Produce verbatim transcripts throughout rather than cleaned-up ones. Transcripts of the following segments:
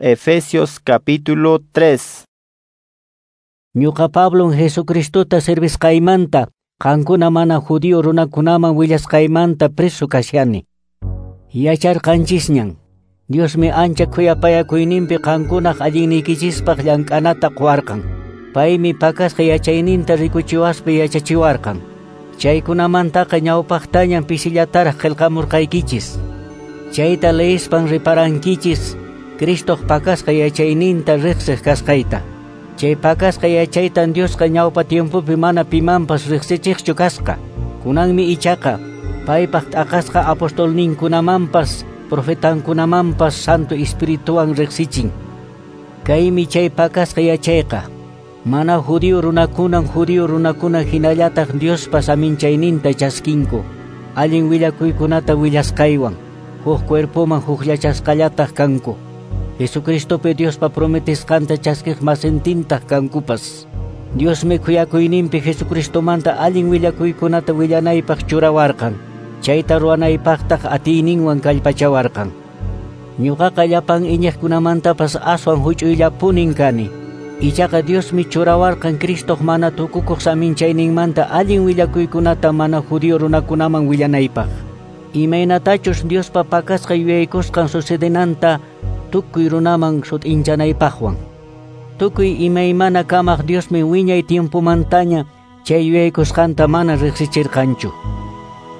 Efesios capítulo tres. Ñuqa Pablon Jesucristota servisqaymanta, qankuna mana judío runakunaman willasqaymanta preso kashani. Yacharqanchisñan, Diosmi ancha khuyapayakuyninpi qankunaq alliniykichispaq llank'anata quwarqan. Paymi pakasqa yachayninta rikuchiwaspa yachachiwarqan. Chaykunamantaqa ñawpaqtañan pisillataraq qillqamurqaykichis. Chayta leispan riparankichis Cristoq pakasqa yachayninta riqsiq kasqayta. Chay pakasqa yachaytan Diosqa ñawpa tiempopi mana pimanpas riqsichiqchu kasqa. Kunanmi ichaqa paypaq t'aqasqa apostolninkunamanpas profetankunamanpas Santo Espirituwan riqsichin. Kaymi chay pakasqa yachayqa. Mana judío runakunan judío runakuna hinallataq Diospa saminchayninta chaskinku. Allin willakuykunata willasqaywan huk cuerpoman hukllachasqallataq kanku. Jesucristopi Diospa prometisqanta chaskiq masintintaq kankupas. Diosmi khuyakuyninpi Jesucristomanta allin willakuykunata willanaypaq churawarqan. Chayta ruwanaypaqtaq atiyninwan kallpachawarqan. Ñuqaqa llapan iñiqkunamantapas aswan huch'uyllapunin kani. Ichaqa Diosmi churawarqan Cristoq mana tukukuq saminchayninmanta allin willakuykunata mana judío runakunaman willanaypaq. Imaynatachus Diospa pakasqa yuyaykusqan sucedenanta tukuy runaman sut'inchanaypaqwan. Tukuy imaymana kamaq Diosmi wiñay tiempomantaña chay yuyaykusqanta mana riqsichirqanchu.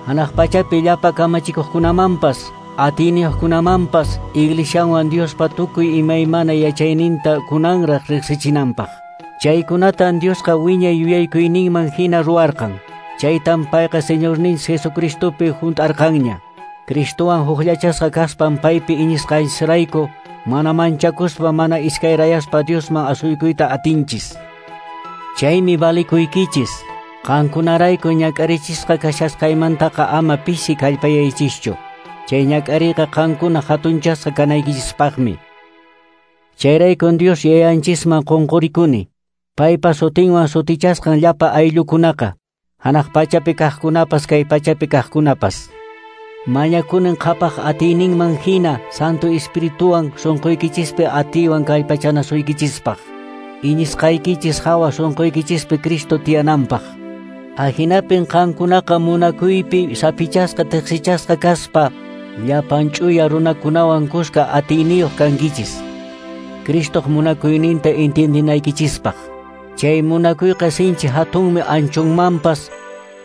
Hanaq pachapi llapa kamachikuqkunamanpas, atiyniyuqkunamanpas iglesianwan Diospa tukuy imaymana yachayninta kunanraq riqsichinanpaq. Chaykunatan Diosqa wiñay yuyaykuyninman hina ruwarqan. Chaytan payqa Señorninchis Jesucristopi hunt'arqanña. Cristowan hukllachasqa kaspan paypi iñisqanchisrayku mana manchakuspa mana iskayrayaspa Diosman asuykuyta atinchis. Chaymi valikuykichis. Qankunarayku ñak'arichisqa kashasqaymantaqa ama pisi kallpayaychischu. Chay ñak'ariyqa qankuna hatunchasqa kanaykichispaqmi. Chayraykun Dios yayanchisman qunqurikuni. Paypa sutinwan sutichasqan llapa ayllukunaqa, hanaq pachapi kaqkunapas kay pachapi kaqkunapas. Mañakunin qhapaq atiyninman hina Santo Espirituwan sunquykichispi atiywan kallpachanasuykichispaq. Iñisqaykichis hawa sunquykichispi Cristo tiyananpaq. Ahinapin qankunaqa munakuypi sapichasqa tiqsichasqa kaspa llapan ch'uya runakunawan kuska atiyniyuq kankichis. Cristoq munakuyninta entiendinaykichispaq. Chay munakuyqa sinchi hatunmi anchunmanpas,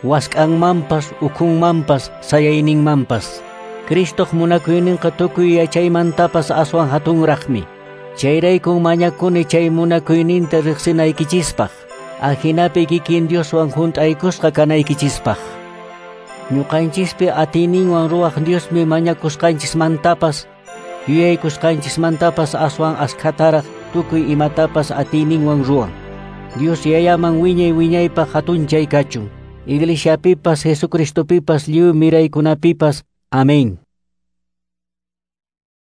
wask'anmanpas, ukhunmanpas, sayayninmanpas. Cristoq munakuyninqa tukuy yachaymantapas aswan hatunraqmi. Chayraykun mañakuni chay munakuyninta riqsinaykichispaq. Ahinapi kikin Dioswan hunt'aykusqa kanaykichispaq. Ñuqanchispi atiyninwan ruwaq Diosmi mañakusqanchismantapas, yuyaykusqanchismantapas aswan askhataraq tukuy imatapas atiyninwan ruwan. Dios yayaman wiñay wiñaypaq hatunchay kachun. Iglesiapipas, Jesucristopipas, lliw miraykunapipas. Amén.